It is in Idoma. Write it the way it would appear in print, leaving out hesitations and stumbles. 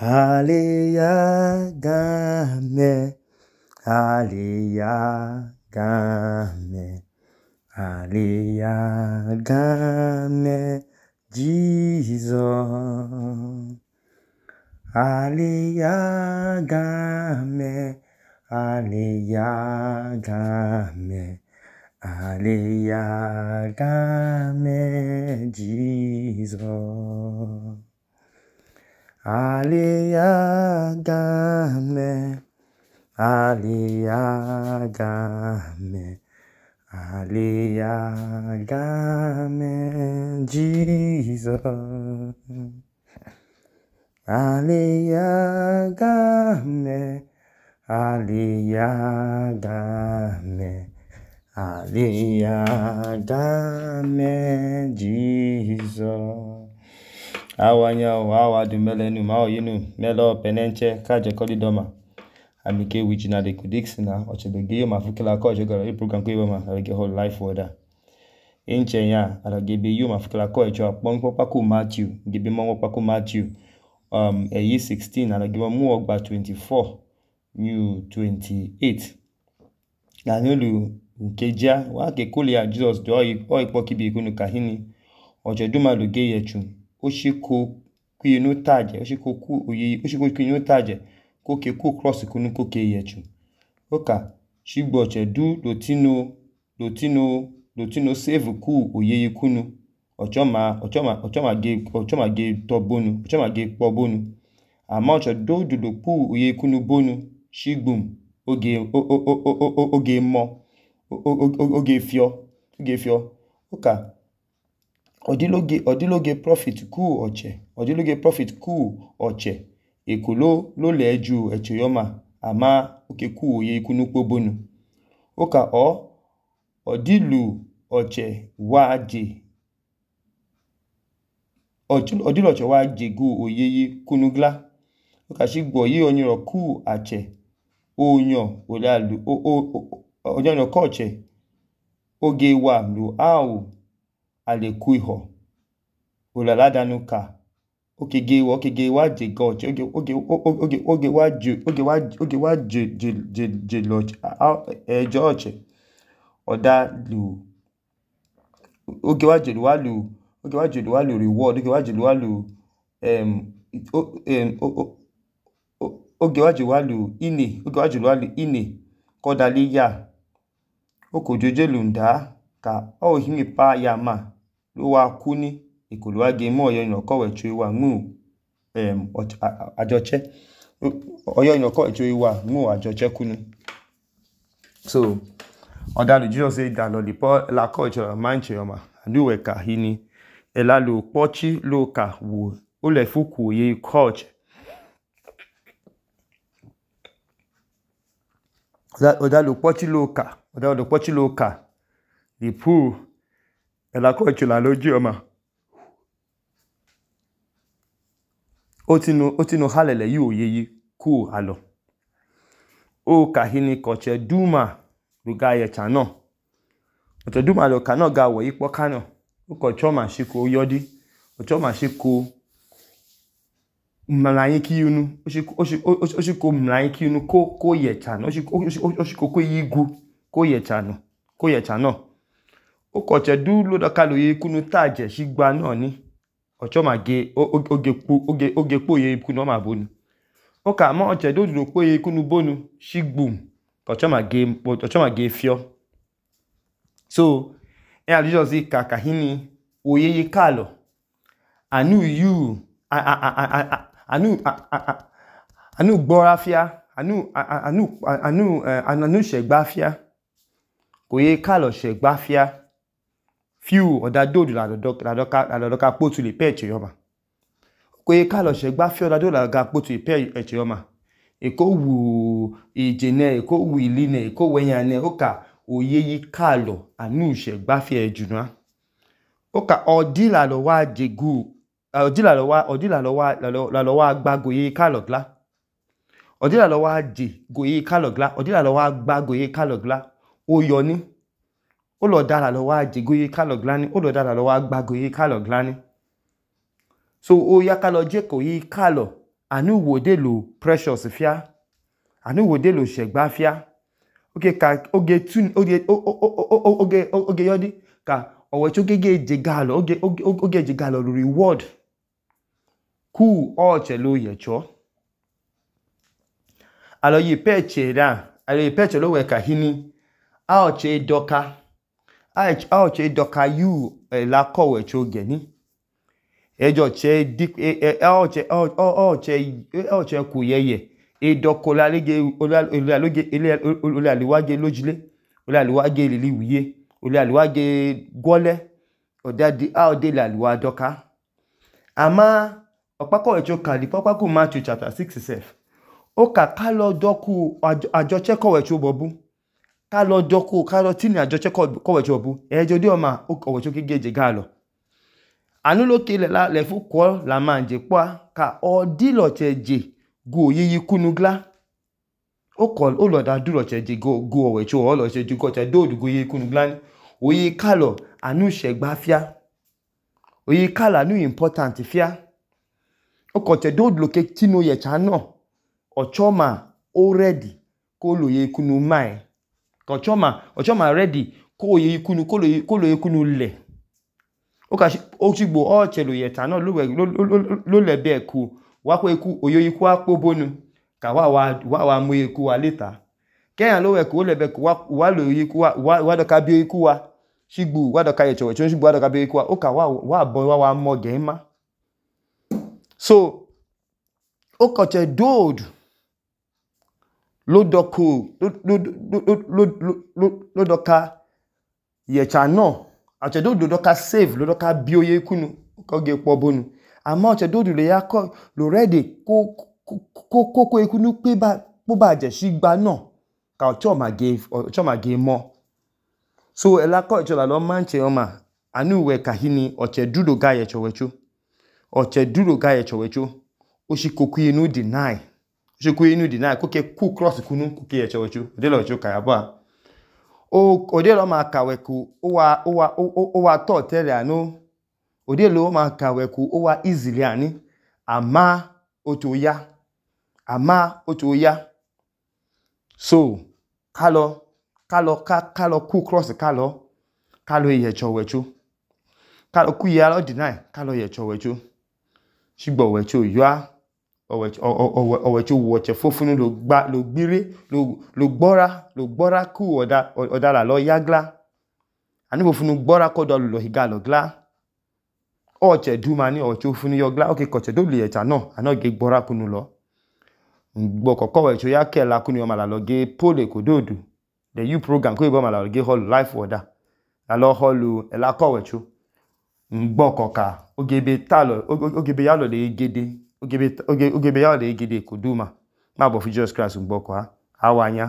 Aleyagame, aleyagame, aleyagame, Jesus. Aleyagame, aleyagame, aleyagame, Jesus. Aleyagame, aleyagame, aleyagame, Jesus. Aleyagame, aleyagame, aleyagame, Jesus. Awanya awa du melenu ma oyinu melo penenche kaje kolidoma amike wijina de kudixina ochedoge ma fukila ko jogara i program ko ma alege whole life order inche ya alage yu ma fukila ko echo apon popa ku Matthew gibi mo popa ku Matthew eyi 16 alage mu ogba 24 new 28 na nulu nkeja wa ke kulia Jesus do ipo kibi kunu kahini ojeduma loge yechu oshiko kuyinu taje oshiko ku oyi oshiko kuyinu taje ko ke ku cross kunu ko ke yechu oka shigbo chedu lotino save ku oyi kunu ochoma ge to bonu ochoma ge po bonu ama ochedu dudu ku oyi kunu bonu shigbum oge mo oge fio oka odiloge profit ku oche ekulo lo leju echoyoma ama oke ku oye kunu pobonu oka odilu oche waje odilu oche waje gu oyeyi kunugla oka shigbo yi oniro ku ache onyo olalu onyo ko oche oge wa lu au aleku iho olalaadanuka okege waje goche oge waje loche ejo oche odalu oge waje walu reward oge waje walu oge waje walu ine kodaliya okojoje lunda ka ohimi pa yama lo wa kuni ikulu age mo oyo ino ko wechu wa mu ajoche oyo ino ko wechu wa mu ajoche kunu so odalu Jesus say dalo lipo la culture manche yoma anduwe ka hini elalu pochi lo ka wo ole fuku ye culture odalu pochi lo ka ipu ela culture la loji yoma otino halele yi oyeyi ku alo o kahini koche duma luga ye chano oche duma lo kano ga wo ipo kano uko choma shiko yodi ochoma shiko mlanyi kiyunu oshiko mlanyi kiyunu ko ye chano oshiko ko yigu ko ye chano uko che du lo dakalo ye kunu taje shigba no ni ochoma ge oge po ye kunu ma bonu oka ma oche do po ye kunu bonu shigbum ochoma ge fio so Jesus ka hini oyeye kalo anu gborafia anu shegbafia koye kalo shegbafia fiu odadodu la doka potu le peche yoma koye kalo shegbafia odadodu la ga potu le peche yoma eko wu ijene eko wu iline eko wenyane oka oyeyi kalo anu shegbafia ejunwa oka odila lo wa jegu odila lo wa gba goye kalo gla odila lo wa je goye kalo gla odila lo wa gba goye kalo gla oyoni ó lọ dára lọ wá jẹgóyé kálọ̀ gláni ó lọ dára lọ wá gbágoyé kálọ̀ gláni so ó yá kálọ̀ jẹ́ kò yí kálọ̀ anu wode lo precious fia anu wode lo shegba fia oge ka oge yodi ka ọwọicho gege jegalo oge jegalo lo reward ku ọchẹ lo yẹchọ alo yi peche lo wẹ kahini aọchẹ doka yu la kọwẹcho gẹni ọchẹ kwu yẹyẹ edọka olaliwage lojile olaliwage lili wiye olaliwage gwọlẹ aọde laliwa dọka ama ọkpakọwẹcho kali kpakpaku Matthew chapter 6 sef ó kà ká lọ dọ́kù àjọchẹ́ kọ̀wẹ̀chó bọ̀bú ká lọ dọ́kù ká lọ tí ní àjọchẹ́ kọ̀wẹ̀chó bọ̀bú ẹjọ́ dí ọmọ ọ̀wẹ̀chó kí gẹ́jẹ̀ gá lọ anúlókè lẹ́fú kọ́ la máa jẹ́ pọ́ ká ọdílọ̀chẹ̀ jẹ́ gò yíyí kúnú glá ó lọ̀dá dúlọ̀chẹ̀ jẹ́ gò ọ̀wẹ̀chó ọlọ̀chẹ̀ jẹ́ gọ́chẹ̀ dóòdù gò yíyí kúnú glá ní òye kálọ̀ anú ṣẹ̀gbá fíá òye kálọ̀ anú important fíá ó kọ̀chẹ̀ dóòdù lókè tínú yẹ̀chá náà ọchọma o ready kó lòye ikunu mai ọchọma ready kó lòye ikunu lẹ̀ ó ṣígbò ọ̀chẹ̀ lòye ẹ̀ta náà ló lẹ̀bẹ̀ ẹ̀kú wákó ikú òye ikú ápó bónú ká wà mú ikú wa léta kẹ́yàn ló ẹ̀kú ó lẹ̀bẹ̀ ẹ̀kú wà lòye ikú wà dọ̀ka bí ikú wa ṣígbò wà dọ̀ka ẹ̀chọ̀wẹ̀chọ̀ ṣígbò wà dọ̀ka bí ikú wa ó ká wà bọ́ wà mọ́ gẹ̀ẹ́má so ó kọ̀chẹ̀ dóòdù ló dọ́ka yẹ̀chà náà àchẹ̀dódò dọ́ka save ló dọ́ka bí oyé kúnnù kọ́gẹ́ pọ̀ bónú àmá àchẹ̀dódò lè yá kọ́ lò rẹ́dì kókó ikúnnù pó bá jẹ̀ sí gba náà ká ọ̀chọ́màgé mọ́ so ẹlákọ́ ìṣọ́lá lọ máa ń ṣe ọmọ àánú ìwẹ̀ kàhíní ọ̀chẹ̀dúdò gá yẹ̀chọ̀wẹ̀chó ó sì kókó inú deny ṣekú inú deny kókè kú cross kúnú kókè ẹ̀chọ̀wẹ̀chó òdélọ̀chó kàyàbọ̀ òdélọ̀ máa kàwẹ̀kú ó wà tọ́ tẹ́lẹ̀ àánú òdélọ̀ máa kàwẹ̀kú ó wà easily àní àmá ó tó yá so kálọ kú cross kálọ ẹ̀chọ̀wẹ̀chó kálọ kú yẹ alọ́ deny kálọ ẹ̀chọ̀wẹ̀chó ṣígbọ̀ ọ̀wẹ̀chó yọ́á ọ̀wẹ̀chó wọ̀chẹ̀ fófúnú ló gbíré ló gbọ́rá kú ọ̀dálà lọ yáglá àníbòfúnú gbọ́rá kọ́dọ̀ lọ hìgá lọ glá ọ̀chẹ̀ dúmà ní ọ̀wẹ̀chó fúnú yọglá ókè kọ̀chẹ̀ tó lè ẹ̀chà náà ànágé gbọ́rá kúnú lọ gbọ́kọ̀kọ́ ọ̀wẹ̀chó yá kẹ́ẹ̀lá kúnú ọmọ àlàlọ́gé pólè kò dóòdù the U program kó ìbọn àlàlọ́gé hall life order lálọ́ hall ẹ̀lákọ̀ ọ̀wẹ̀chó gbọ́kọ̀ká ogebe yálọ̀ lè gẹ́dẹ́ ogebe yálọ̀ lè gẹ́dẹ́ kò dúmà má bọ̀ fún Jesus Christ gbọ́kọ̀ awanya